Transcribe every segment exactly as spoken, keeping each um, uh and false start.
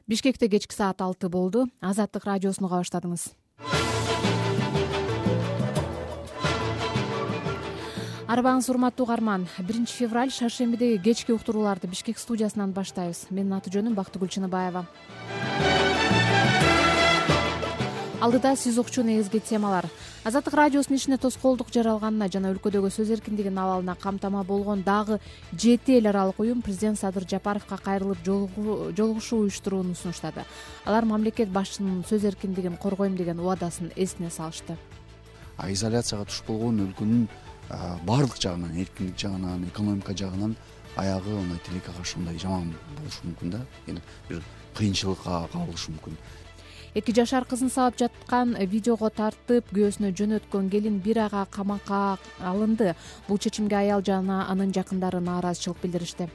Бишкекте кечки саат алты болду. Азаттык радиосуну уга баштадыңыз. Арбаңыз урматтуу угарман. биринчи февраль шаршембидеги кечки уктурууларды Бишкек студиясынан баштайбыз. Менин аты жөнүм Бактыгүл Чыныбаева. Алдыда сиз укчу негизги темалар. Азаттык радиосунун ишине тоскоолдук жаралганына жана өлкөдөгү сөз эркиндигинин абалына камтама болгон дагы жети эл аралык уюм президент Садыр Жапаровго кайрылып жолугушуу уюштурууну сунуштады. Алар мамлекет башчынын сөз эркиндигин коргойм деген убадасын эсине салышты. Изоляцияга туш болгон өлкөнүн баардык жагынан, эркиндик жагынан, экономика жагынан аягы мындай тилекке каршы мындай жаман болушу мүмкүн да. Бир кыйынчылыкка кабылышы мүмкүн. Эки жашар кызын сабап жаткан видеого тартып күйөөсүнө жөнөткөн келин бир айга камакка алынды. Бул чечимге аял жана анын жакындары нааразычылык билдиришти.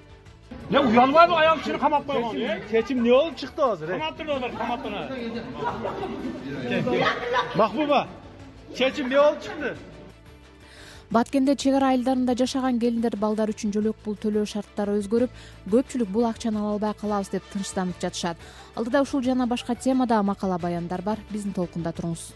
Не уялбайбы аял кишини камап койгон? Чечим эмне болуп чыкты азыр? Камап турду алар, камаптана. Махбуба, чечим эмне болуп чыкты? Баткенде чек ара айылдарында жашаган келиндер балдар үчүн жөлөк пул төлөө шарттары өзгөрүп, көпчүлүк бул акчаны ала албай калабыз деп тынчтанып жатышат. Алдыда ушул жана башка темада макала баяндар бар. Биздин толкунда туруңуз.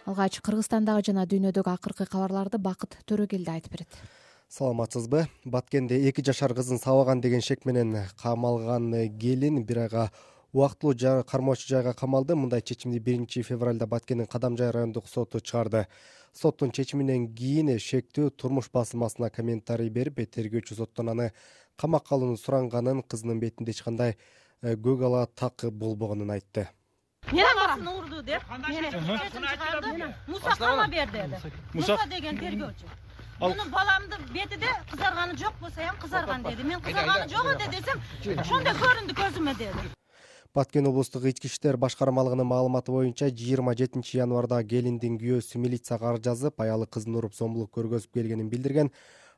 Алгач Кыргызстандагы жана дүйнөдөгү акыркы кабарларды Бакыт Төрөгелди айтып берет. Саламатсызбы? Баткенде эки жашар кызын сабаган деген шек менен камалган келин бир айга убактылуу кармоочу жайга камалды. Мындай чечимди биринчи февралда Баткендин Кадамжай райондук соту чыгарды. Соттун чечиминен кийин шектүү турмуш басылмасына комментарий берип, тергөөчү соттон аны камакка алууну суранганын, кызынын бетинде эч кандай көк ала так болбогонун айтты. Мен асын урду деп, мени чечим чыгарды. Муса кама бер деди. Муса деген тергөөчү. Мунун баламдын бетиде кызарганы жок болсо ham кызарган деди. Мен кызарганы жок эди десем, ошондой көрүндү көзүмө деди. Баткен облустук ички иштер башкармалыгынын маалыматы боюнча жыйырма жетинчи январда келиндин күйөөсү милицияга арыз жазып, аялы кызын уруп зомбулук көргөзүп келгенин билдирген.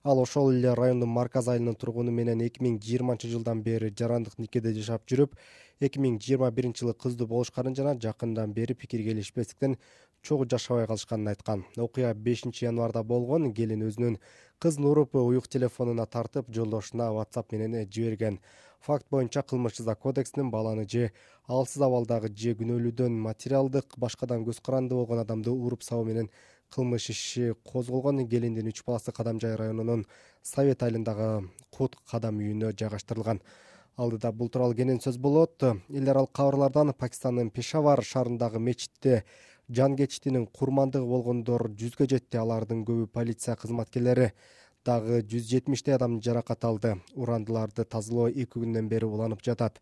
Ал ошол эле райондун Марказ айылынын тургуну менен эки миң жыйырманчы жылдан бери жарандык никеде жашап жүрүп, эки миң жыйырма биринчи жылы кыздуу болушканын жана жакындан бери пикир келишпестиктен чогуу жашабай калышканын айткан. Окуя бешинчи январда болгон. Келин өзүнүн кызын уруп уюк телефонуна тартып, жолдошуна WhatsApp менен жиберген. Факт боюнча кылмыш-жаза кодексинин баланы же алсыз абалдагы же күнөөлүүдөн материалдык башкадан көз каранды болгон адамды уруп сабоо менен кылмыш иши козголгон. Келиндин үч баласы Кадамжай районунун Совет айылындагы Кут Кадам үйүнө жайгаштырылган. Алдыда бул тууралуу кенен сөз болот. Эл аралык кабарлардан Пакистандын Пешавар шаарындагы мечитте жан кечтинин курмандыгы болгондор жүзгө жетти. Алардын көбү полиция кызматкерлери. Дагы жүз жетимиштей адам жаракат алды. Урандыларды тазалоо эки күндөн бери уланып жатат.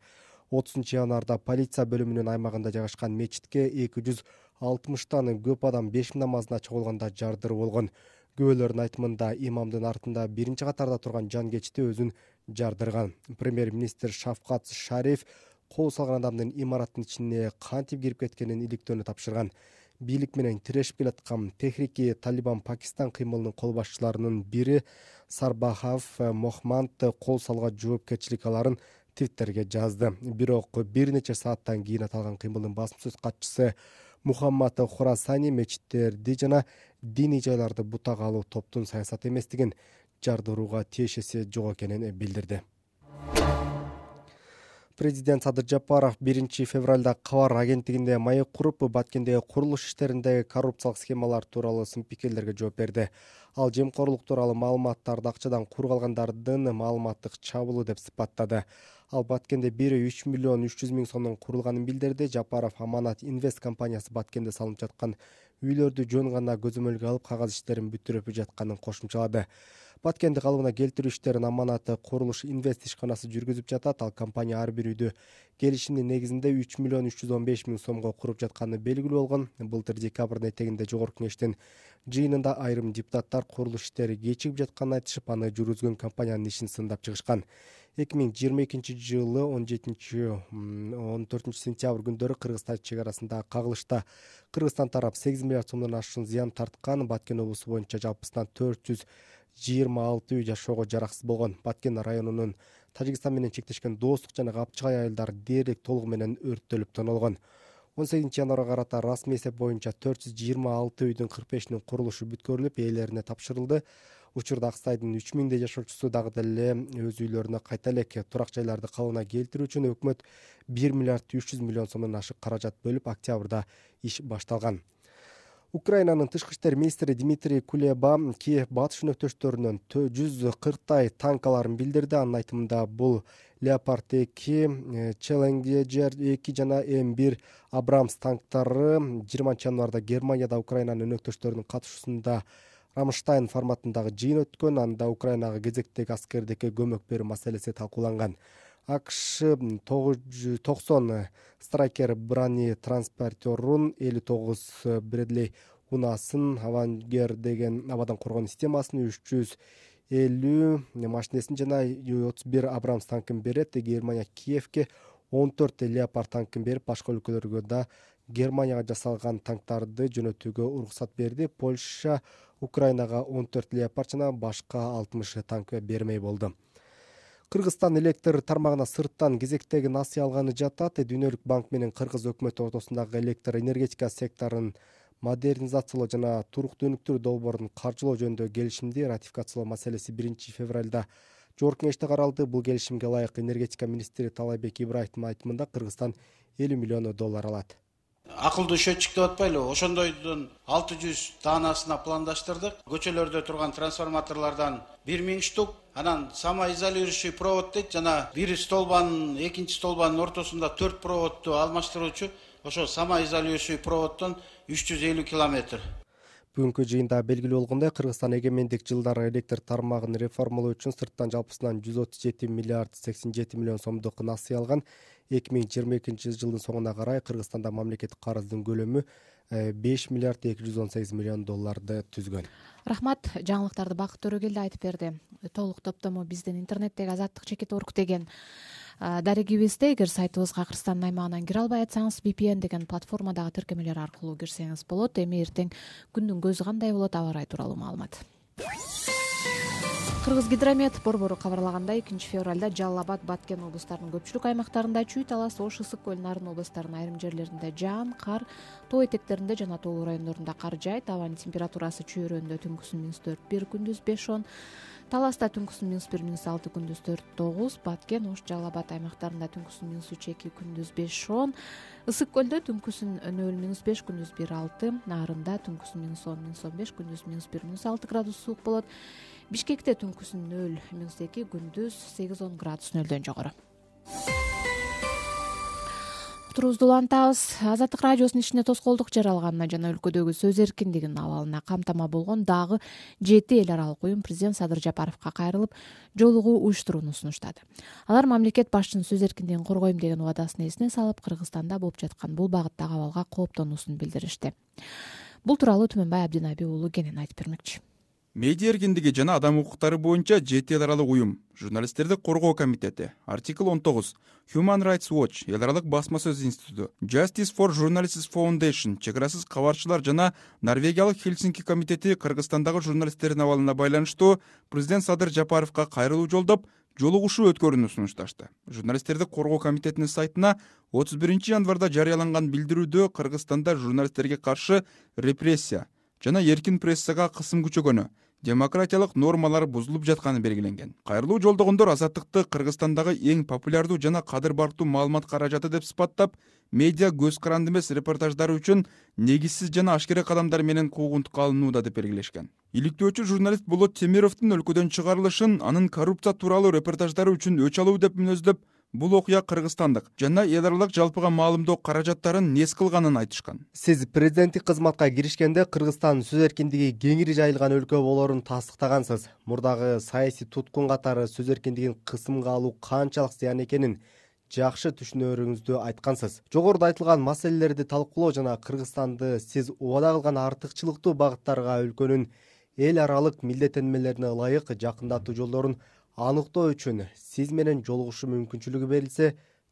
отузунчу январда полиция бөлүмүнүн аймагында жайгашкан мечитке эки жүз алтымыштан көп адам беш намазына чогулганда жардыруу болгон. Күбөлөрдүн айтымында имамдын артында биринчи катарда турган жан кечти өзүн жардырган. Премьер-министр Шавкат Шариф кол салган адамдын имараттын ичине кантип кирип кеткенин иликтөөнү тапшырган. Бийлик менен тирешип келаткан Техрики Талибан Пакистан кыймылынын кол башчыларынын бири Сарбахав Мохманд кол салууга жоопкерчилик аларын Твиттерге жазды. Бирок бир нече сааттан кийин аталган кыймылдын басым сөз катчысы Мухаммад Хурасани мечиттерди жана диний жайларды бутага алуу топтун саясат эместигин, жардырууга тиешеси жок экенин билдирди. Президент Садыр Жапаров биринчи февралда Кабар агенттигинде маек куруп, Баткендеги курулуш иштериндеги коррупциялык схемалар тууралуу сын пикирлерге жооп берди. Ал жемкорлук тууралуу маалыматтарды акчадан кургалгандардын маалыматтык чабуулу деп сыпаттады. Ал Баткенде бир үч миллион үч жүз миң сомдон курулганын билдирди. Жапаров Аманат Инвест компаниясы Баткенде салынып жаткан үйлөрдү жөн гана көзөмөлгө алып, кагаз иштерин бүтүрүп жатканын кошумчалады. Баткенди калыбына келтирүү иштерин Аманат Курулуш Инвест ишканасы жүргүзүп жатат. Ал компания ар бир үйдү келишимдин негизинде үч миллион үч жүз он беш миң сомго куруп жатканы белгилүү болгон. Былтыр декабрдын этегинде Жогорку кеңештин жыйынында айрым депутаттар курулуш иштери кечигип жатканын айтышып, аны жүргүзгөн компаниянын ишин сындап чыгышкан. эки миң жыйырма экинчи жылы он жетинчи он төртүнчү сентябрь күндөрү Кыргызстан чек арасындагы кагылышта Кыргызстан тарап сегиз миллиард сомдон ашуун зыян тарткан. Баткен облусу боюнча жалпысынан төрт жүз жыйырма алты үй жашоого жараксыз болгон. Баткен районунун Тажикстан менен чектешкен Достук жана Капчыгай айылдары дээрлик толугу менен өрттөлүп тонолгон. он сегизинчи январга карата расмий эсеп боюнча төрт жүз жыйырма алты үйдүн кырк бешинин курулушу бүткөрүлүп, ээлерине тапшырылды. Учурда Аксайдын үч миңдей жашоочусу дагы деле өз үйлөрүнө кайта элек турак жайларды калыбына келтирүү үчүн өкмөт бир миллиард үч жүз миллион сомдон ашык каражат бөлүп октябрда иш башталган. Украинанын тышкы иштер министри Дмитрий Кулеба Киев батыш өнөктөштөрүнөн жүз кырктай танк аларын билдирди. Анын айтымында бул Leopard эки, Challenger эки жана эм бир Абрамс танктары жыйырманчы январда Германияда Украинанын өнөктөштөрүнүн катышуусунда Рамштайн форматындагы жыйын өткөн. Анда Украинага кезектеги аскердикке көмөк берүү маселеси талкууланган. АКШ токсон Страйкер брони транспортерун, элүү тогуз Брэдлей унаасын, Авангер деген абадан коргонуу системасын, үч жүз элүү машинесин жана отуз бир Абрамс танкын берет. Германия Киевке он төрт Leopard танкын берип, башка өлкөлөргө да Германияга жасалган танктарды жөнөтүүгө уруксат берди. Польша Украинага он төрт Leopard жана башка алтымыш танк бермей болду. Кыргызстан электр тармагына сырттан кезектеги насыя алганы жатат. Дүйнөлүк банк менен Кыргыз өкмөтү ортосундагы электр энергетика секторун модернизациялоо жана туруктуу өнүктүрүү долбоорун каржылоо жөнүндөгү келишимди ратификациялоо маселеси биринчи февралда Жогорку кеңеште каралды. Бул келишимге ылайык энергетика министри Талайбек Ибраевдин айтымында Кыргызстан элүү миллион доллар алат. Акылдуу счетчик деп атпайлы, ошондойдун алты жүз таанасына пландаштырдык. Көчөлөрдө турган трансформаторлордон бир миң штук, анан самоизолирующий провод дейт, жана бир столбанын, экинчи столбанын ортосунда төрт проводду алмаштыруучу ошо самоизолирующий проводдон үч жүз элүү километр. Бүгүнкү жыйында белгилүү болгондой, Кыргызстан эгемендик жылдары электр тармагын реформалоо үчүн сырттан жалпысынан жүз отуз жети миллиард сексен жети миллион сомдук насыя алган. эки миң жыйырма экинчи жылдын соңуна карай Кыргызстанда мамлекеттик карыздын көлөмү беш миллиард эки жүз он сегиз миллион долларды түзгөн. Рахмат, жаңылыктарды Бакыт Төрөгелди айтып берди. Толук топтому биздин интернеттеги азаттык чекит орг деген дарегибизде, эгер сайтыбызга Кыргызстандын аймагынан кире албай атсаңыз, ви пи эн деген платформадагы тиркемелер аркылуу кирсеңиз болот. Эми эртең күндүн көзү кандай болот, аба ырайы тууралуу маалымат. Кыргыз гидромет борбору кабарлагандай, экинчи февралда Жалал Абад, Баткен облустарынын көпчүлүк аймактарында чүй, талас, Ош, Ысык көл, Нарын облустарынын айрым жерлеринде жаан, кар, тоо этектеринде жана тоолуу райондорунда кар жаайт. Абанын температурасы чүй өрөөндө түнкүсүн минус төрт бир, күндүз беш он, таласта түнкүсүн минус бир минус алты, күндүз төрт тогуз, Баткен, Ош, Жалал Абад аймактарында түнкүсүн минус үч эки, күндүз беш он, Ысык көлдө түнкүсүн нөл минус беш, күндүз бир алты, Нарында түнкүсүн минус он минус он беш, күндүз минус бир минус алты градус суук болот. Бишкекте түнкүсүн нөл минус эки, күндүз сегиз он градус нөлдөн жогору. Турубузду улантабыз. Азаттык радиосунун ишине тоскоолдук жаралганына жана өлкөдөгү сөз эркиндигинин абалына камтама болгон дагы жети эл аралык уюм президент Садыр Жапаровго кайрылып, жолугуу уюштурууну сунуштады. Алар мамлекет башчынын сөз эркиндигин коргойм деген убадасын эсине салып, Кыргызстанда болуп жаткан бул багыттагы абалга кооптонуусун билдиришти. Бул тууралуу Түмөнбай Абдинаби уулу кенен айтып бермекчи. Медиа эркиндиги жана адам укуктары боюнча жети эл аралык уюм, журналисттерди коргоо комитети, артикл он тогуз, Human Rights Watch, эл аралык басма сөз институту, Justice for Journalists Foundation, чекарасыз кабарчылар жана Норвегиялык Хельсинки комитети Кыргызстандагы журналисттердин абалына байланыштуу президент Садыр Жапаровго кайрылуу жолдоп, жолугушуу өткөрүүнү сунушташты. Журналисттерди коргоо комитетинин сайтына отуз биринчи январда жарыяланган билдирүүдө Кыргызстанда журналисттерге каршы репрессия жана эркин прессага кысым күчөгөнү, демократиялык нормалар бузулуп жатканы белгиленген. Кайрылуу жолдогондор азаттыкты Кыргызстандагы эң популярдуу жана кадыр бартуу маалымат каражаты деп сыпаттап, медиа көз каранды эмес репортаждары үчүн негизсиз жана ашкере кадамдар менен куугунтукка алынууда деп белгилешкен. Иликтөөчү журналист Болот Темировдун өлкөдөн чыгарылышын анын коррупция тууралуу репортаждары үчүн өч алуу деп мүнөздөп, бул окуя кыргызстандык жана эл аралык жалпыга маалымдоо каражаттарын нес кылганын айтышкан. Сиз президенттик кызматка киришкенде Кыргызстан сөз эркиндиги кеңири жайылган өлкө болоорун тастыктагансыз. Мурдагы саясий туткун катары сөз эркиндигин кысымга алуу канчалык зыян экенин жакшы түшүнөрүңүздү айткансыз. Жогоруда айтылган маселелерди талкуулоо жана Кыргызстанды сиз убада кылган артыкчылыктуу багыттарга өлкөнүн эл аралык милдеттенмелерине ылайык жакындатуу жолдорун аныктоо үчүн сиз менен жолугушуу мүмкүнчүлүгү берилсе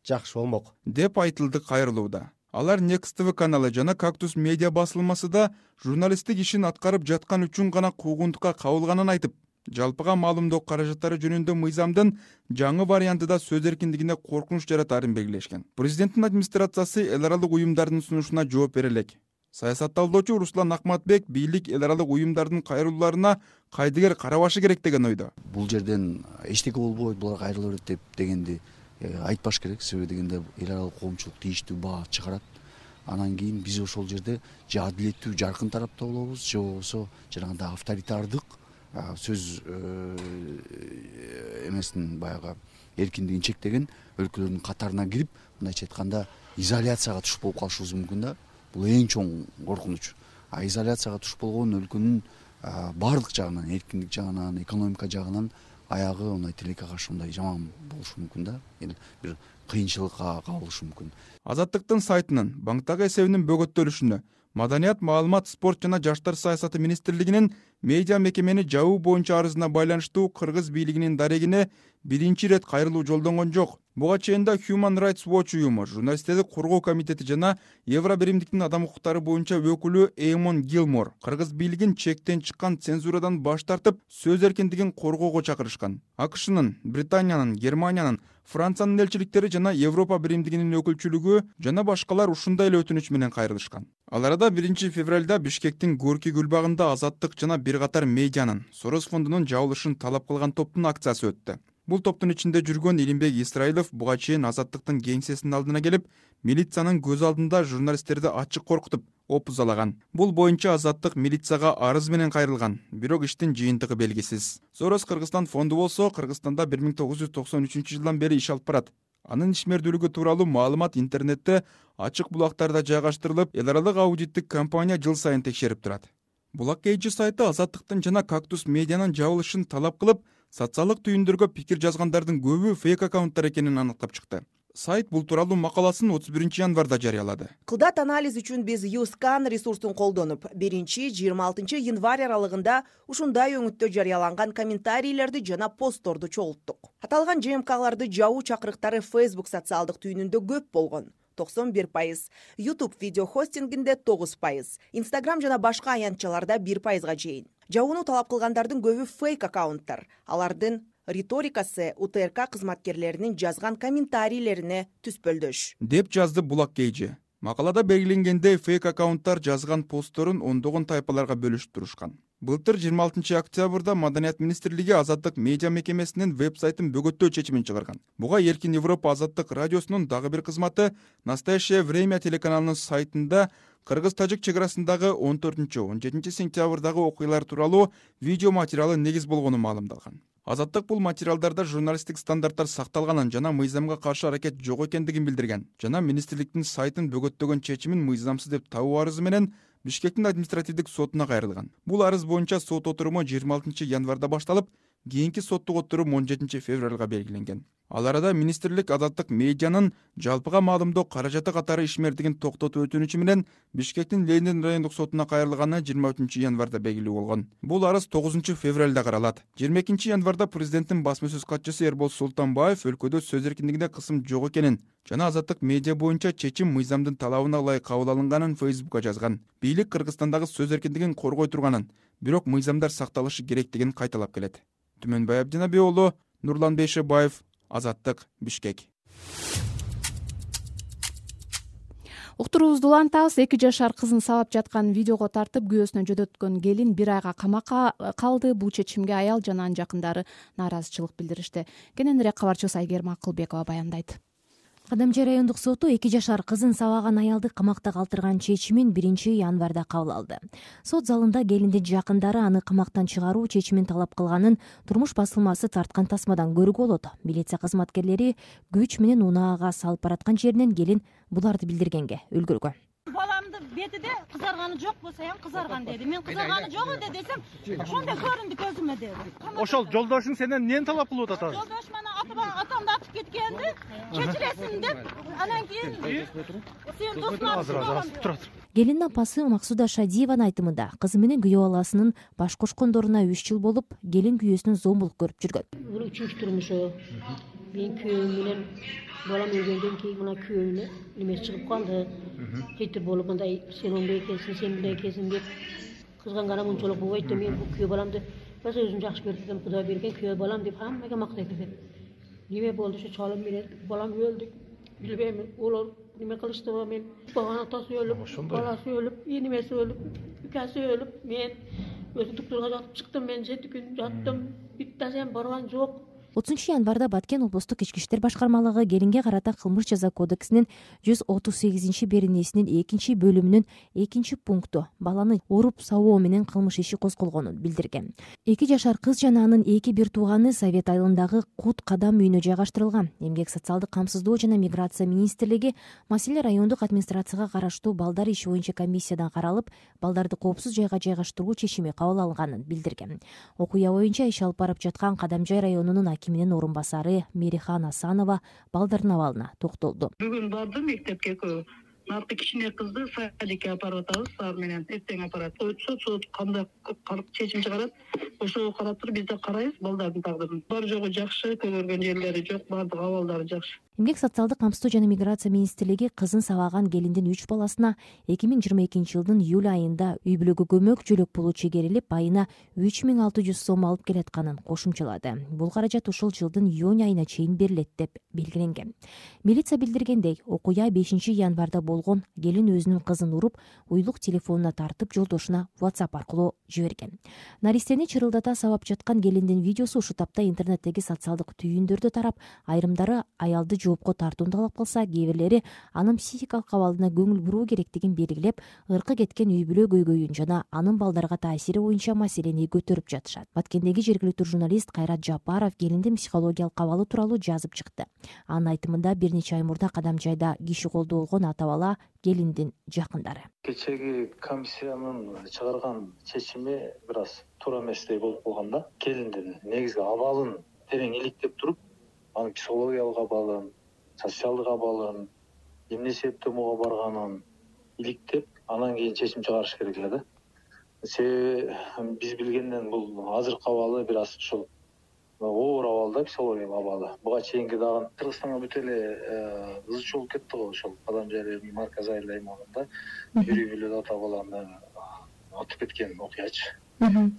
жакшы болмок, деп айтылды кайрылууда. Алар Next ти ви каналы жана Кактус медиа басылмасы да журналисттик ишин аткарып жаткан үчүн гана куугунтукка кабылганын айтып, жалпыга маалымдоо каражаттары жөнүндө мыйзамдын жаңы вариантыда сөз эркиндигине коркунуч жаратарын белгилешкен. Президенттин администрациясы эл аралык уюмдардын сунушуна жооп бере элек. Саясатталдоочу Руслан Акматбек бийлик эл аралык уюмдардын кайрылууларына кайдыгер карабашы керек деген ойдо. Бул жерден эчтеке болбойт, булар кайрыла берет деп дегенди айтпаш керек. Себеби дегенде эл аралык коомчулук тийиштүү баа чыгарат. Анан кийин биз ошол жерде же адилеттүү жаркын тарапта болобуз, же болбосо жанагындай авторитардык сөз эмесин баягы эркиндигин чектеген өлкөлөрдүн катарына кирип, мындайча айтканда изоляцияга туш болуп калышыбыз мүмкүн да. Бул эң чоң коркунуч. А изоляцияга туш болгон өлкөнүн баардык жагынан, эркиндик жагынан, экономика жагынан аягы мындай тилекке каршы мындай жаман болушу мүмкүн да. Бир кыйынчылыкка кабылышы мүмкүн. Азаттыктын сайтынын банктагы эсебинин бөгөттөлүшүнө Маданият, маалымат, спорт жана жаштар саясаты министрлигинин медиа мекемени жабуу боюнча арызына байланыштуу кыргыз бийлигинин дарегине биринчи ирет кайрылуу жолдонгон жок. Буга чейин да Human Rights Watch уюму, журналисттерди коргоо комитети жана Евро биримдиктин адам укуктары боюнча өкүлү Эймон Гилмор кыргыз бийлигин чектен чыккан цензурадан баш тартып, сөз эркиндигин коргоого чакырышкан. АКШнын, Британиянын, Германиянын, Франциянын элчиликтери жана Европа биримдигинин өкүлчүлүгү жана башкалар ушундай эле өтүнүч менен кайрылышкан. Ал арада биринчи февралда Бишкектин Горький гүлбагында Азаттык жана бир катар медианын Сорос фондунун жабылышын талап кылган топтун акциясы өттү. Бул топтун ичинде жүргөн Илимбек Исраилов буга чейин Азаттыктын кеңсесинин алдына келип, милициянын көз алдында журналисттерди ачык коркутуп, опузалаган. Бул боюнча Азаттык милицияга арыз менен кайрылган, бирок иштин жыйынтыгы белгисиз. Сорос Кыргызстан фонду болсо, Кыргызстанда бир миң тогуз жүз токсон үчүнчү жылдан бери иш алып барат. Анын ишмердүүлүгү тууралуу маалымат интернетте ачык булактарда жайгаштырылып, эл аралык аудиттик компания жыл сайын текшерип турат. Булак эйджи сайты Азаттыктын жана Кактус медианын жабылышын талап кылып, социалдык түйүндөргө пикир жазгандардын көбү фейк аккаунттар экенин аныктап чыкты. Сайт бул тууралуу макаласын отуз биринчи январда жарыялады. Кылдат анализ үчүн биз YouScan ресурсун колдонуп, биринчи жыйырма алтынчы январь аралыгында ушундай өңүттө жарыяланган комментарийлерди жана постторду чогулттук. Аталган ЖМКларды жабуу чакырыктары Facebook социалдык түйүнүндө көп болгон. токсон бир пайыз, YouTube видео хостингинде тогуз пайыз, Instagram жана башка аянтчаларда бир пайызга чейин. Жабууну талап кылгандардын көбү фейк аккаунттар. Алардын риторикасы УТРК кызматкерлеринин жазган комментарийлерине түспөлдөш. Деп жазды Булак эйджи. Макалада белгиленгендей фейк аккаунттар жазган постторун ондогон тайпаларга бөлүшүп турушкан. Былтыр жыйырма алтынчы октябрда Маданият министрлиги Азаттык медиа мекемесинин веб-сайтын бөгөттөө чечимин чыгарган. Буга Эркин Европа Азаттык радиосунун дагы бир кызматы Настоящее время телеканалынын сайтында Кыргыз-Тажик чек арасындагы он төртүнчү он жетинчи сентябрдагы окуялар тууралуу видео материалы негиз болгону маалымдалган. Азаттык бул материалдарда журналисттик стандарттар сакталганын жана мыйзамга каршы аракет жок экендигин билдирген жана министрликтин сайтын бөгөттөгөн чечимин мыйзамсыз деп табуу арызы менен Бишкектин административдик сотуна кайрылган. Бул арыз боюнча сот отуруму жыйырма алтынчы январда башталып, кийинки соттук отурум он жетинчи февралга белгиленген. Ал арада министрлик Азаттык медианын жалпыга маалымдоо каражаты катары ишмердигин токтотуу өтүнүчү менен Бишкектин Ленин райондук сотуна кайрылганы жыйырма үчүнчү январда белгилүү болгон. Бул арыз тогузунчу февралда каралат. жыйырма экинчи январда президенттин басма сөз катчысы Эрбол Султанбаев өлкөдө сөз эркиндигине кысым жок экенин жана Азаттык медиа боюнча чечим мыйзамдын талабына ылайык кабыл алынганын Facebook'ка жазган. Бийлик Кыргызстандагы сөз эркиндигин коргой турганын, бирок мыйзамдар сакталышы керектигин кайталап келет. Түмөнбай Абдинабек уулу, Нурлан Бейшебаев, Азаттык, Бишкек. Уктуруубузду улантабыз. эки жашар кызын сабап жаткан видеого тартып күйөөсүнө жөнөткөн келин бир айга камакка калды. Бул чечимге аял жана анын жакындары нааразычылык билдиришти. Кененирээк кабарчыбыз Айгерим Акылбекова баяндайт. Кадамчы райондук соту эки жашар кызын сабаган аялды камакта калтырган чечимин биринчи январда кабыл алды. Сот залында келиндин жакындары аны камактан чыгаруу чечимин талап кылганын турмуш басылмасы тарткан тасмадан көрүүгө болот. Милиция кызматкерлери күч менен унаага салып бараткан жеринен келин буларды билдиргенге үлгүргөн. Баламды бетиде кызарганы жок болсо ham кызарган деди. Мен кызарганы жок эди десем, ошондой көрүндү көзүмө деди. Ошол жолдошуң сенден эмнени талап кылып атат? Жолдош мана атамды атып кеткенди, кечиресиң деп, анан кийин сен досуңа Келиндин апасы Максуда Шадиеванын айтымында кызы менен күйөө баласынын баш кошкондоруна үч жыл болуп, келин күйөөсүнөн зомбулук көрүп жүргөн. Бул үчүнчү турмушу. Мен күйөөм менен балам өлгөндөн кийин мына күйөөмүнө немеси чыгып калды. Кетип болуп мындай сен он бир экенсиң, сен мындай экенсиң деп кызгангана мынчалык болбойт да мен бул күйөө баламды баса өзүм жакшы көрүп кетем, Кудай берген күйөө балам деп хаммага мактай кетет. Неме болду ушу чалым менен балам өлдү. Билбейм, олар неме кылыштыбы мен баган атасы өлүп, баласы өлүп, ийнемеси өлүп, үкөсү өлүп, мен өтүктүргө жатып чыктым, мен жети күн жаттым, бит нерсем барган жок. отузунчу январда Баткен облустук ички иштер башкармалыгы келинге карата кылмыш жаза кодексинин жүз отуз сегизинчи беренесинин экинчи бөлүмүнүн экинчи пункту баланы уруп сабоо менен кылмыш иши козголгонун билдирген. эки жашар кыз жана анын эки бир тууганы Совет айылындагы Кут Кадам үйүнө жайгаштырылган. Эмгек социалдык камсыздоо жана миграция министрлиги маселе райондук администрацияга караштуу балдар иши боюнча комиссиядан каралып, балдарды коопсуз жайга жайгаштыруу чечими кабыл алынганын билдирген. Окуя боюнча иш алып барып жаткан Кадамжай районунун акиминин орун басары Мерихан Асанова балдардын абалына токтолду. Бүгүн бардым мектепке, нарты кичине кызды садикке апарып атабыз, ар менен эртең апарат. Өтсө сот кандай чечим чыгарат, ошого карап туруп биз да карайбыз балдардын тагдырын. Бар жогу жакшы, көгөргөн жерлери жок, баардык абалдары жакшы. Эмгек социалдык камсыздоо жана миграция министрлиги кызын сабаган келиндин үч баласына эки миң жыйырма экинчи жылдын июль айында үй бүлөгө көмөк жөлөк пулу чегерилип, айына үч миң алты жүз сом алып келатканын кошумчалады. Бул каражат ушул жылдын июнь айына чейин берилет деп белгиленген. Милиция билдиргендей, окуя бешинчи январда болгон. Келин өзүнүн кызын уруп, уйлук телефонуна тартып жолдошуна WhatsApp аркылуу жиберген. Наристени чырылдата сабап жаткан келиндин видеосу ушул тапта интернеттеги социалдык түйүндөрдө тарап, айрымдары аялды жоопко тартууну талап кылса, кээ бирлери анын психикалык абалына көңүл буруу керектигин белгилеп, ыркы кеткен үй бүлө көйгөйүн жана анын балдарга таасири боюнча маселени көтөрүп жатышат. Баткендеги жергиликтүү журналист Кайрат Жапаров келиндин психологиялык абалы тууралуу жазып чыкты. Анын айтымында бир нече ай мурда Кадамжайда киши колдоо болгон ата бала келиндин жакындары. Кечеги комиссиянын чыгарган чечими бир аз туура эместей болуп калган да. Келиндин негизги абалын терең иликтеп туруп, анын психологиялык абалын, социалдык абалын, эмне себептен муга барганын иликтеп, анан кийин чечим чыгарыш керек эле да. Себеби биз билгенден бул азыркы абалы бир аз ушул оор абал да, психологиялык абалы. Буга чейинки дагы Кыргызстанга бүт эле ызы чуу болуп кетти го, ошол Кадамжай районунун Марказ айыл аймагында бир үй бүлөдө ата баланы атып кеткен окуячы.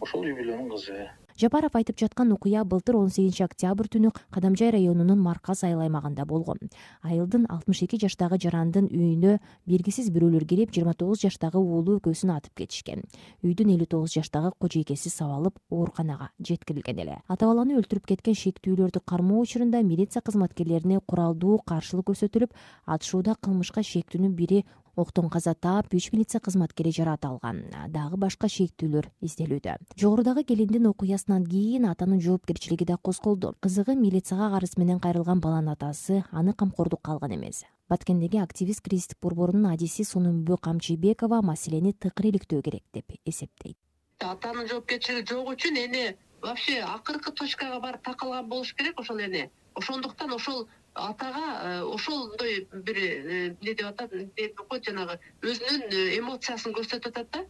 Ошол үй бүлөнүн кызы. Жапаров айтып жаткан окуя былтыр он сегизинчи октябрь түнү Кадамжай районунун Марказ айыл аймагында болгон. Айылдын алтымыш эки жаштагы жарандын үйүнө белгисиз бирөөлөр кирип, жыйырма тогуз жаштагы уулу экөөсүн атып кетишкен. Үйдүн элүү тогуз жаштагы кожойкеси сабалып ооруканага жеткирилген эле. Ата баланы өлтүрүп кеткен шектүүлөрдү кармоо учурунда милиция кызматкерлерине куралдуу каршылык көрсөтүлүп, атышууда кылмышка шектүүнүн бири октон каза таап, үч милиция кызматкери жараат алган. Дагы башка шектүүлөр изделүүдө. Жогорудагы келиндин окуясынан кийин атанын жоопкерчилиги да козголду. Кызыгы милицияга арыз менен кайрылган баланын атасы аны камкордукка алган эмес. Баткендеги активист кризистик борборунун адиси Сонумбү Камчыбекова маселени тыкыр иликтөө керек деп эсептейт. Атанын жоопкерчилиги жок үчүн эне вообще акыркы точкага барып такалган болуш керек ошол эне. Ошондуктан ошол атага ошондой бир эмне деп атат, деп коет, жанагы өзүнүн эмоциясын көрсөтүп атат да,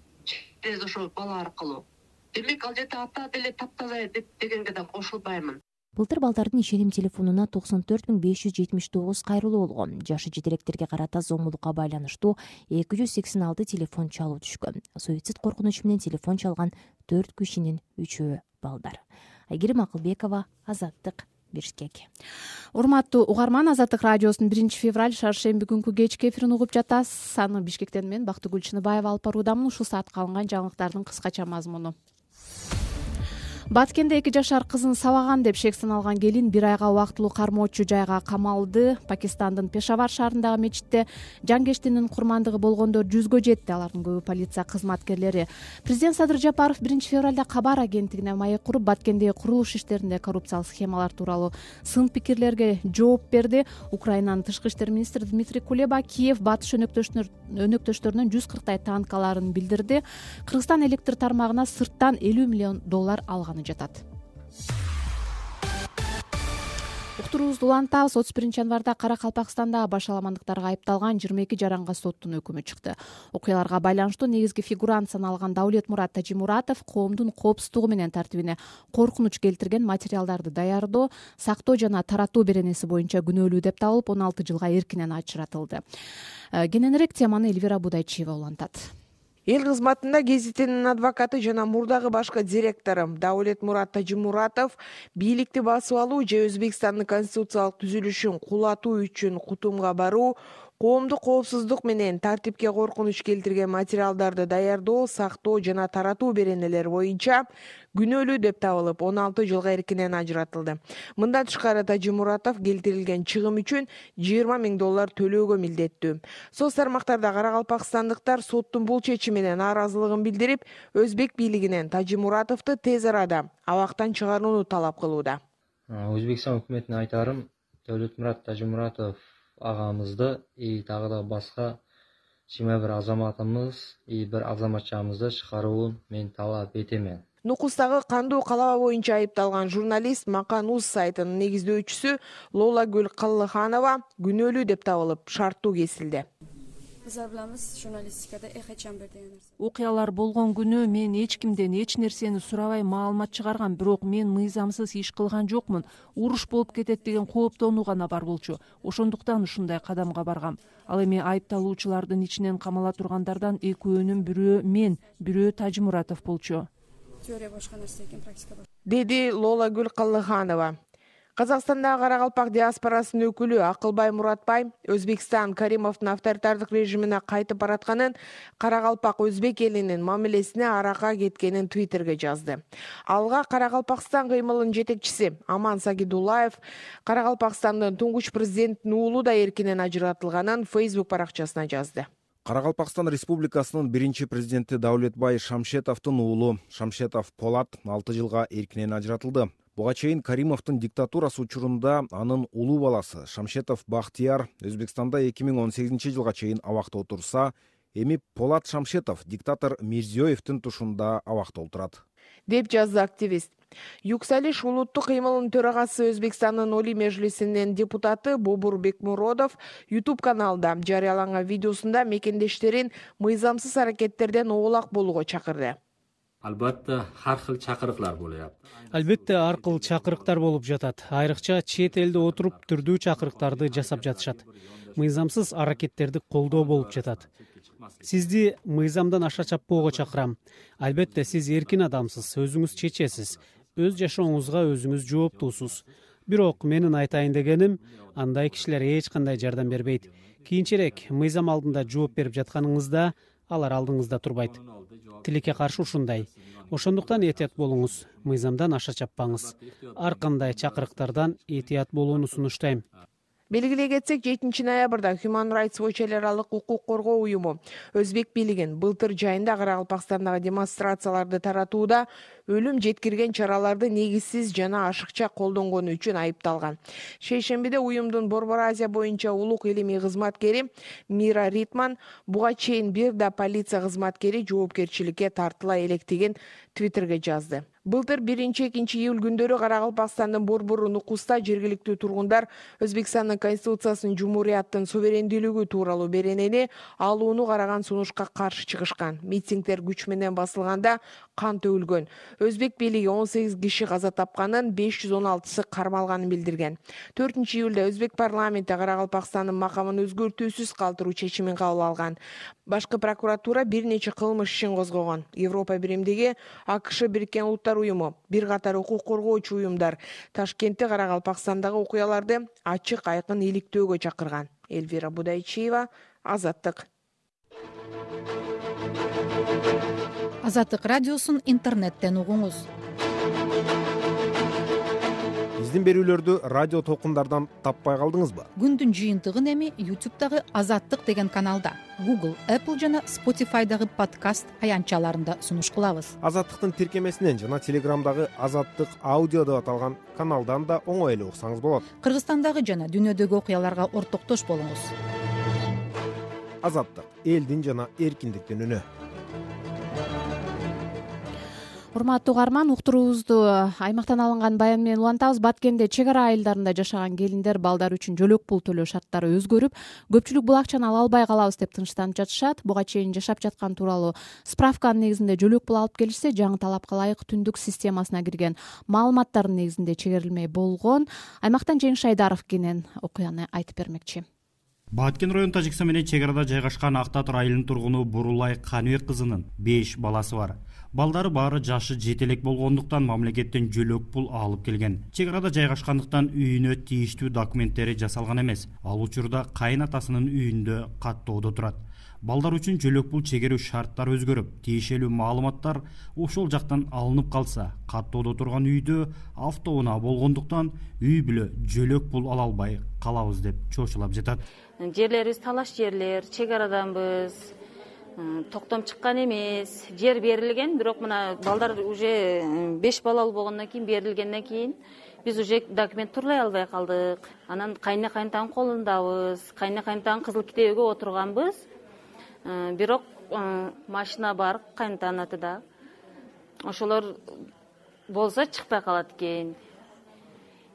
через ошол бала аркылуу. Демек ал жерде ата деле таптаза деп дегенге да кошулбаймын. Былтыр балдардын ишеним телефонуна токсон төрт миң беш жүз жетимиш тогуз кайрылуу болгон. Жашы жетиректерге карата зомбулукка байланыштуу эки жүз сексен алты телефон чалуу түшкөн. Суицид коркунучу менен телефон чалган төрт кишинин үчөө балдар. Айгерим Акылбекова, Азаттык, Бишкек. Урматтуу угарман, Азаттык радиосунун биринчи февраль шаршемби күнкү кечки эфирин угуп жатасыз. Аны Бишкектен мен Бактыгүл Чыныбаева алып баруудамын. Ушул саатка алынган жаңылыктардын кыскача мазмуну. Баткенде эки жашар кызын сабаган деп шек саналган келин бир айга убактылуу кармоочу жайга камалды. Пакистандын Пешавар шаарындагы мечитте жангештинин курмандыгы болгондор жүзгө жетти. Алардын көбү полиция кызматкерлери. Президент Садыр Жапаров биринчи февралда кабар агенттигине маек куруп, Баткендеги курулуш иштеринде коррупциялык схемалар тууралуу сын пикирлерге жооп берди. Украинанын тышкы иштер министри Дмитрий Кулеба Киев батыш өнөктөштөрүнөн жүз кырктай танкаларын билдирди. Кыргызстан электр тармагына сырттан элүү миллион доллар алган жатат. Уктуруубузду улантабыз. отуз биринчи январда Кара Калпакстанда баш аламандыктарга айыпталган жыйырма эки жаранга соттун өкүмү чыкты. Окуяларга байланыштуу негизги фигурант саналган Даулетмурат Тажимуратов коомдун коопсуздугу менен тартибине коркунуч келтирген материалдарды даярдоо, сактоо жана таратуу беренеси боюнча күнөөлүү деп табылып, он алты жылга эркинен ажыратылды. Кененирээк теманы Эльвира Будайчиева улантат. Эл кызматында гезитинин адвокаты жана мурдагы башкы директору Даулетмурат Тажимуратов бийликти басып алуу же Өзбекстандын конституциялык түзүлүшүн кулатуу үчүн Кутумга баруу, коомдук коопсуздук менен тартипке коркунуч келтирген материалдарды даярдоо, сактоо жана таратуу беренелери боюнча күнөөлүү деп табылып, он алты жылга эркинен ажыратылды. Мындан тышкары Тажимуратов келтирилген чыгым үчүн жыйырма миң доллар төлөөгө милдеттүү. Соц тармактарда каракалпакстандыктар соттун бул чечимине нааразылыгын билдирип, Өзбек бийлигинен Тажимуратовду тез арада абактан чыгарууну талап кылууда. Өзбекстан өкмөтүнө айтарым, Даулетмурат Тажимуратов агамызды и дагы да башка жыйырма бир азаматымыз и бир азаматчамызды чыгарууну мен талап этемен. Нукустагы кандуу калаба боюнча айыпталган журналист Макануз сайтынын негиздөөчүсү Лолагүл Каллыханова күнөөлүү деп табылып, шарттуу кесилди. Окуялар болгон күнү мен эч кимден эч нерсени сурабай маалымат чыгаргам, бирок мен мыйзамсыз иш кылган жокмун. Уруш болуп кетет деген кооптонуу гана бар болчу. Ошондуктан ушундай кадамга баргам. Ал эми айыпталуучулардын ичинен камала тургандардан экөөнүн бирөө мен, бирөө Тажимуратов болчу. Деди Лолагүл Каллыханова. Казакстандагы каракалпак диаспорасынын өкүлү Акылбай Муратбай Өзбекстан Каримовдун авторитардык режимине кайтып баратканын, каракалпак өзбек элинин мамилесине арака кеткенин Твиттерге жазды. Алга Каракалпакстан кыймылынын жетекчиси Аман Сагидуллаев Каракалпакстандын туңгуч президенттин уулу да эркинен ажыратылганын Facebook баракчасына жазды. Каракалпакстан Республикасынын биринчи президенти Даулетбай Шамшетовдун уулу Шамшетов Полат алты жылга эркинен ажыратылды. Буга чейин Каримовдун диктатурасы учурунда анын улуу баласы Шамшетов Бахтияр Өзбекстанда эки миң он сегизинчи жылга чейин абакта отурса, эми Полат Шамшетов диктатор Мирзиёевдин тушунда абакта отурат, деп жазды активист. Юксалиш улуттук кыймылынын төрагасы Өзбекстандын Олий Межлисинин депутаты Бобур Бекмуродов YouTube каналында жарыяланган видеосунда мекендештерин мыйзамсыз аракеттерден оолак болууга чакырды. Албетте ар кыл чакырыктар болуп. Албетте ар кыл чакырыктар болуп жатат. Айрыкча чет элде отуруп түрдүү чакырыктарды жасап жатышат. Мыйзамсыз аракеттерди колдоо болуп жатат. Сизди мыйзамдан аша чаппоого чакырам. Албетте сиз эркин адамсыз, өзүңүз чечесиз. Өз жашооңузга өзүңүз жооптуусуз. Бирок менин айтайын дегеним, андай кишилер эч кандай жардам бербейт. Кийинчерээк мыйзам алдында жооп берип жатканыңызда алар алдыңызда турбайт. Тилекке каршы ушундай. Ошондуктан этият болуңуз, мыйзамдан аша чаппаңыз. Ар кандай чакырыктардан этият болууну сунуштайм. Белгилей кетсек, жетинчи ноябрда Human Rights Watch эл аралык укук коргоо уюму Өзбек бийлигин былтыр жайында Каракалпакстандагы демонстрацияларды таратууда өлүм жеткирген чараларды негизсиз жана ашыкча колдонгону үчүн айыпталган. Шейшембиде уюмдун Борбор Азия боюнча улук илимий кызматкери Мира Ритман буга чейин бир да полиция кызматкери жоопкерчиликке тартыла электигин Твиттерге жазды. Былтыр биринчи экинчи июль күндөрү Каракалпакстандын Борбору Нукуста жергиликтүү тургундар Өзбекстандын Конституциясынын Жумурияттын суверендүүлүгү тууралуу беренени алууну караган сунушка каршы чыгышкан. Митингдер күч менен басылганда кан төгүлгөн. Өзбек бийлиги он сегиз киши каза тапканын, беш жүз он алтысы кармалганын билдирген. төртүнчү июлда Өзбек парламенти Каракалпакстандын макамын өзгөртүүсүз калтыруу чечимин кабыл алган. Башкы прокуратура бир нече кылмыш ишин козгогон. Европа биримдиги, АКШ Бириккен Улуттар уюму, бир катар укук коргоочу уюмдар Ташкентте Каракалпакстандагы окуяларды ачык айкын иликтөөгө чакырган. Эльвира Будайчиева, Азаттык. Азаттык радиосун интернеттен угуңуз. Биздин берүүлөрдү радио толкундардан таппай калдыңызбы? Күндүн жыйынтыгын эми YouTube'дагы Азаттык деген каналда, Google, Apple жана Spotify'дагы подкаст аянтчаларында сунуш кылабыз. Азаттыктын тиркемесинен жана Телеграмдагы Азаттык аудио деп аталган каналдан да оңой эле уксаңыз болот. Кыргызстандагы жана дүйнөдөгү окуяларга ортоктош болуңуз. Азаттык — элдин жана эркиндиктин үнү. Урматтуу угарман, уктуруубузду аймактан алынган баян менен улантабыз. Баткенде чек ара айылдарында жашаган келиндер балдар үчүн жөлөк пул төлөө шарттары өзгөрүп, көпчүлүк бул акчаны ала албай калабыз деп тынчтанып жатышат. Буга чейин жашап жаткан тууралуу справканын негизинде жөлөк пул алып келишсе, жаңы талапка ылайык түндүк системасына кирген маалыматтардын негизинде чегерилмей болгон. Аймактан Жеңиш Айдаров кенен окуяны айтып бермекчи. Баткен район Тажикстан менен чек арада жайгашкан Актатыр айылынын тургуну Бурулай Каныбек кызынын беш баласы бар. Балдары баары жашы жете элек болгондуктан мамлекеттен жөлөк пул алып келген. Чек арада жайгашкандыктан үйүнө тийиштүү документтери жасалган эмес. Ал учурда кайын атасынын үйүндө каттоодо турат. Балдар үчүн жөлөк пул чегерүү шарттары өзгөрүп, тиешелүү маалыматтар ошол жактан алынып калса, каттоодо турган үйдө автоунаа болгондуктан үй бүлө жөлөк пул ала албай калабыз деп чочулап жатат. Жерлерибиз талаш жерлер, чек араданбыз, токтом чыккан эмес, жер берилген, бирок мына балдар уже беш балалуу болгондон кийин берилгенден кийин биз уже документ турлай албай калдык. Анан кайны кайнтанын колундабыз, кайны кайнтанын кызыл китебиге отурганбыз. Бирок машина бар кайнтанын атында. Ошолор болсо чыкпай калат экен.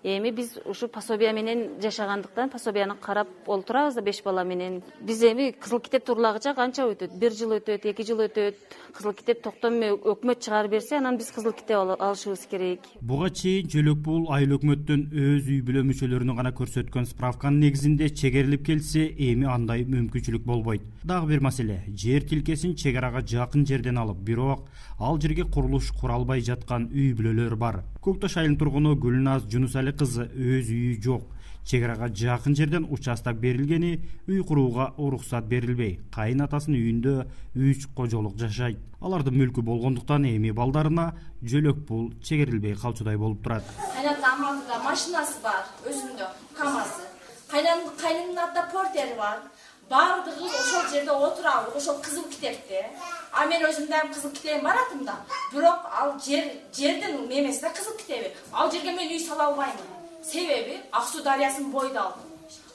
Эми биз ушу пособия менен жашагандыктан пособияны карап олтурабыз да беш бала менен. Биз эми кызыл китеп турлагыча канча өтөт? Бир жыл өтөт, эки жыл өтөт. Кызыл китеп токтом өкмөт чыгарып берсе, анан биз кызыл китеп алышыбыз керек. Буга чейин жөлөк пул айыл өкмөттөн өз үй бүлө мүчөлөрүнө гана көрсөткөн справканын негизинде чегерилип келсе, эми андай мүмкүнчүлүк болбойт. Дагы бир маселе, жер тилкесин чек арага жакын жерден алып, бирок ал жерге курулуш кура албай жаткан үй бүлөлөр бар. Көк Таш айылынын тургуну Гүлназ Жунусали кызы өз үйү жок. Чек арага жакын жерден участок берилгени үй курууга уруксат берилбей, кайын атасынын үйүндө үч кожолук жашайт. Алардын мүлкү болгондуктан эми балдарына жөлөк пул чегерилбей калчудай болуп турат. Кайнатамдын атында машинасы бар, өзүндө КамАЗы. Кайнынын атында портери бар. Баардыгыбыз ошол жерде отурабыз, ошол кызыл китепте. А мен өзүм дайым кызыл китебим бар атымда. Бирок ал жер жердин эмеси да кызыл китеби. Ал жерге мен үй сала албаймын. Себеби Ак Суу дарыясынын бойдо ал.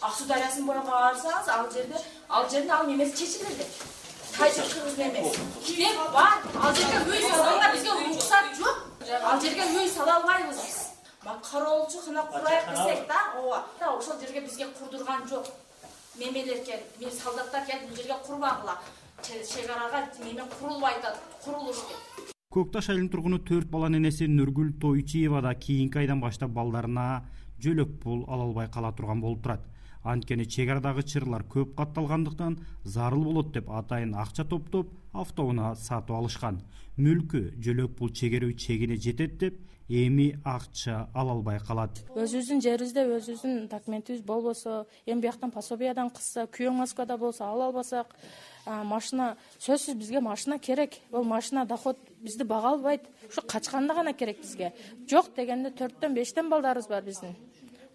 Ак Суу дарыясынын боюна барсаңыз, ал жерде ал жердин ал эмеси чечилди. Тайчы кыргыз эмес. Китеп бар. Ал жерге үй салганга бизге уруксат жок. Ал жерге үй сала албайбыз биз. Бак кароолчу кана курайык десек да, ооба. Ошол жерге бизге курдурган жок. Мемелер келип, мен солдаттар келип бул жерге курбагыла. Чек арага неме курулбай атат, курулуш деп. Көк Таш айылынын тургуну төрт баланын энеси Нургүл Тойчиева да кийинки айдан баштап балдарына жөлөк пул ала албай кала турган болуп турат. Анткени чек арадагы чырлар көп катталгандыктан зарыл болот деп атайын акча топтоп, автоунаа сатып алышкан. Мүлкү жөлөк пул чегерүү чегине жетет деп эми акча ала албай калат. Өзүбүздүн жерибизде өзүбүздүн документибиз болбосо, эми бияктан пособиядан кысса, күйөө Москвада болсо ала албасак, машина сөзсүз бизге машина керек. Бул машина доход бизди бага албайт. Ушу качканда гана керек бизге. Жок дегенде төрттөн бештен балдарыбыз бар биздин.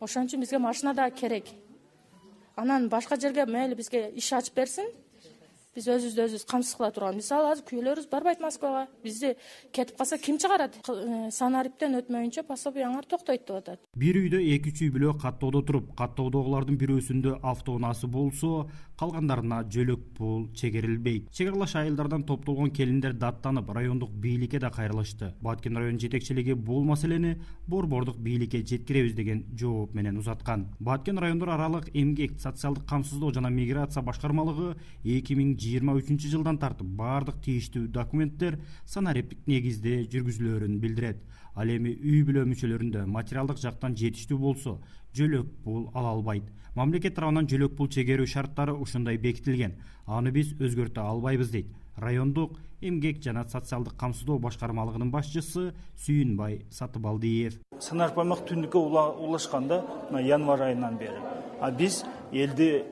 Ошон үчүн бизге машина да керек. Анан башка жерге мейли бизге иш ачып берсин. Биз өзүбүздү өзүбүз камсыз кыла турган. Мисалы азыр күйөөлөрүбүз барбайт Москвага. Бизди кетип калса ким чыгарат? Санариптен өтмөйүнчө пособияңар токтойт деп атат. Бир үйдө эки үч үй бүлө каттоодо туруп, каттоодогулардын бирөөсүндө автоунаасы болсо, калгандарына жөлөк пул чегерилбейт. Чек аралаш айылдардан топтолгон келиндер даттанып, райондук бийликке да кайрылышты. Баткен район жетекчилиги бул маселени борбордук бийликке жеткиребиз деген жооп менен узаткан. Баткен райондор аралык эмгек, социалдык камсыздоо жана миграция башкармалыгы эки миң жыйырма үчүнчү жылдан тартып баардык тийиштүү документтер санариптик негизде жүргүзүлөөрүн билдирет. Ал эми үй бүлө мүчөлөрүндө материалдык жактан жетиштүү болсо, жөлөк пул ала албайт. Мамлекет тарабынан жөлөк пул чегерүү шарттары ушундай бекитилген. Аны биз өзгөртө албайбыз дейт райондук эмгек жана социалдык камсыздоо башкармалыгынын башчысы Сүйүнбай Сатыбалдиев. Санарип аймак түндүккө улашканда январь айынан бери. А биз элди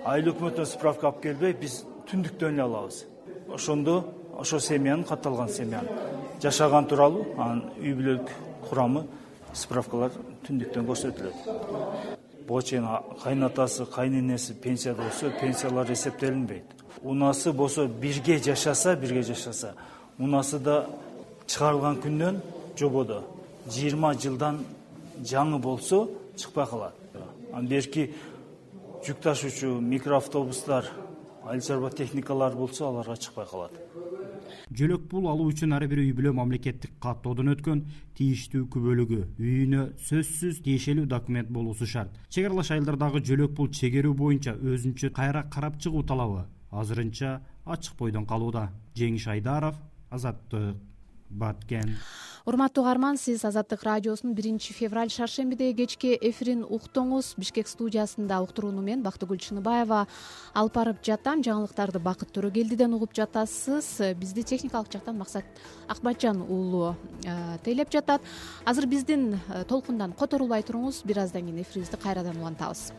айыл өкмөттөн справка алып келбей, биз түндүктөн эле алабыз. Ошондо ошо семьянын катталган семьянын жашаган тууралуу анын үй бүлөлүк курамы справкалар түндүктөн көрсөтүлөт. Буга чейин кайнатасы, кайненеси пенсияда болсо, пенсиялар эсептелинбейт. Унасы болсо бирге жашаса, бирге жашаса, унасы да чыгарылган күндөн жободо жыйырма жылдан жаңы болсо чыкпай калат. Анан берки жүк ташуучу микроавтобустар, айыл чарба техникалар болсо аларга чыкпай калат. Жөлөк пул алуу үчүн ар бир үй бүлө мамлекеттик каттоодон өткөн тийиштүү күбөлүгү, үйүнө сөзсүз тиешелүү документ болуусу шарт. Чек аралаш айылдардагы жөлөк пул чегерүү боюнча өзүнчө кайра карап чыгуу талабы азырынча ачык бойдон калууда. Жеңиш Айдаров, Азаттык, баткен. Урматтуу угарман, сиз Азаттык радиосунун биринчи февраль шаршембидеги кечки эфирин уктуңуз. Бишкек студиясында уктурууну мен Бактыгүл Чыныбаева алып барып жатам. Жаңылыктарды Бакыт Төрөгелдиден угуп жатасыз. Бизди техникалык жактан Максат Акбатжан уулу тейлеп жатат. Азыр биздин толкундан которулбай туруңуз. Бир аздан кийин эфирибизди кайрадан улантабыз.